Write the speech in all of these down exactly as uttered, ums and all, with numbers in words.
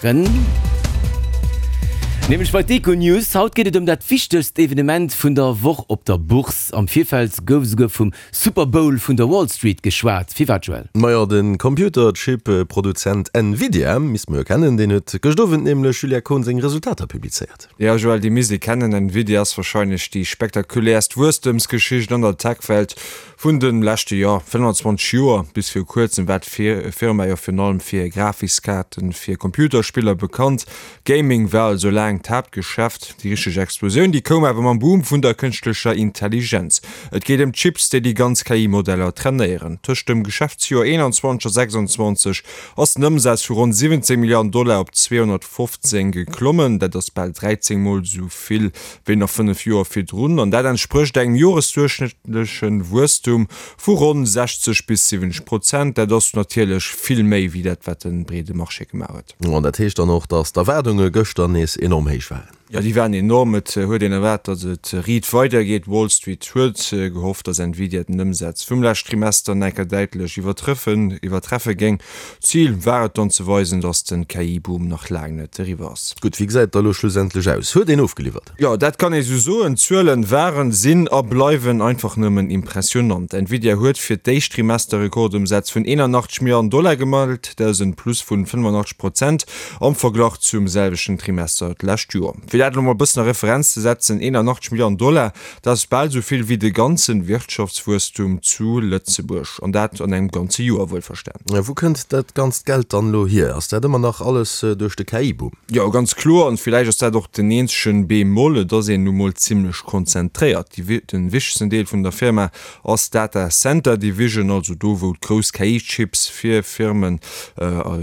maachen. Nämlech bei d'Econews. Haut geet et ëm dat wichtegst Evenement vun der Woch op der Bourse. Am Virfeld gouf esouguer vum Super Bowl vun der Wall Street geschwat. Firwat, Joël? Majo, de Computerchip-Produzent Nvidia misst mer jo kennen, deen huet gëscht Owend nämlech, Julia Kohn, seng Resultater publizéiert. Jo, Joël, déi misst ee kennen. Nvidia ass warscheinlech déi spektakuläerst Wuesstemsgeschicht an der Tech-Welt vun de leschte, jo, fënnfanzwanzeg Joer. Bis viru kuerzem war d'Firma jo virun allem fir Grafiskaarten fir Computerspiller bekannt. Gaming war also laang d'Haaptgeschäft. Déi richteg Explosioun, déi koum awer mam Boom vun der kënschtlecher Intelligenz. Et geet ëm d'Chips, déi déi ganz K I-Modeller trainéieren. Tëscht dem Geschäftsjoer eenanzwanzeg a sechsanzwanzeg ass den Ëmsaz vu ronn siwwenzéng Milliarden Dollar op zweehonnertfofzéng geklommen. Dat ass bal dräizéng Mol esou vill wéi nach fënnef Joer virdrun. An dat entsprécht engem joresduerchschnëttleche Wuesstum vu ronn sechzeg bis siwwenzeg Prozent. Dat ass natierlech vill méi wéi dat, wat de breede Marché gemaach huet. An dat heescht dann och, datt d'Erwaardunge gëschter nees enorm héich waren. Jo, déi waren enorm. Et huet een erwaart, datt et riit weidergeet. Wall Street huet gehofft, datt Nvidia den Ëmsaz vum lescht Trimester nach eng Kéier däitlech iwwertrëffen iwwertreffe géing. Zil war et dann ze weisen, datt de K I-Boom nach laang net eriwwer ass. Gutt, wéi gesäit et da elo schlussendlech aus? Huet een ofgeliwwert? Jo, dat kann ee sou soen. D'Zuelen waren, sinn a bleiwen einfach nëmmen impressionant. Nvidia huet fir d'éischt Trimester Rekordëmsätz vun eenanachtzeg Milliarden Dollar gemellt. Dat ass en Plus vun fënnefannachtzeg Prozent am Verglach zum selwechten Trimester d'lescht Joer. Fir dat elo mol e bëssen a Referenz ze setzen, eenanachtzeg Milliarden Dollar, dat ass bal esou vill wéi de ganze Wirtschaftswuesstum zu Lëtzebuerg, an dat an engem ganze Joer wuelverstan. Wou kënnt dat ganzt Geld dann elo hier? Ass dat ëmmer nach alles duerch de K I-Boom? Jo, ganz kloer, an villäicht ass dat och den eenzegen Bémol, et ass een nu mol zimlech konzentréiert. Den wichtegsten Deel vun der Firma ass d'Data Center Division, also do wou d'grouss K I-Chips fir Firmen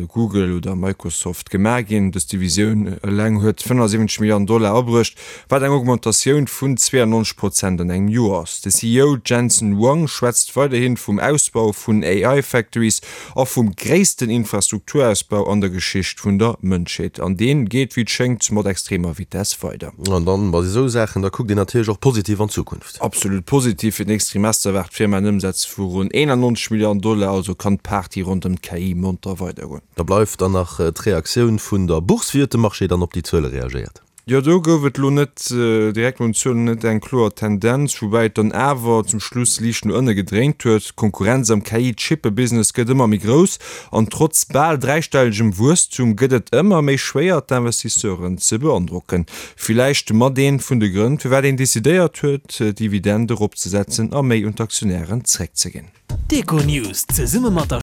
Google oder Microsoft gemaach ginn. Dës Divisioun eleng huet fënnefasiwwenzeg Milliarden Dollar abruecht, wat eng Augmentatioun vun zweeannonzeg Prozent an engem Joer ass. De C E O Jensen Huang schwätzt weiderhi vum Ausbau vun A I-Factories a vum gréissten Infrastrukturausbau an der Geschicht vun der Mënschheet. An dee geet, wéi et schéngt, mat extremer Vitess weider. An dann, bei esou Saachen, da kuckt een natierlech och positiv an d'Zukunft. Absolut positiv. Fir d'nächst Trimester erwaart d'Firma en Ëmsaz vu ronn eenannonzeg Milliarden Dollar, also kann d'Party ronderëm d'K I monter weidergoen. Da bleift dann nach d'Reaktioun vun der Bourse. Wéi huet de Marché dann op déi Zuele reagéiert? Jo, do gouf et elo net direkt no den Zuelen net eng kloer Tendenz, woubäi et dann awer zum Schluss liicht no ënne gedréint huet. D'Konkurrenz am K I-Chippe-Business gëtt ëmmer méi grouss an trotz bal dräistellegem Wuesstum gëtt et ëmmer méi schwéier, d'Investisseuren ze beandrocken. Villäicht mat ee vun de Grënn, firwat een decidéiert huet, d'Dividend eropzesetzen a méi un d'Aktionären zeréckzeginn. D'Econews zesumme mat der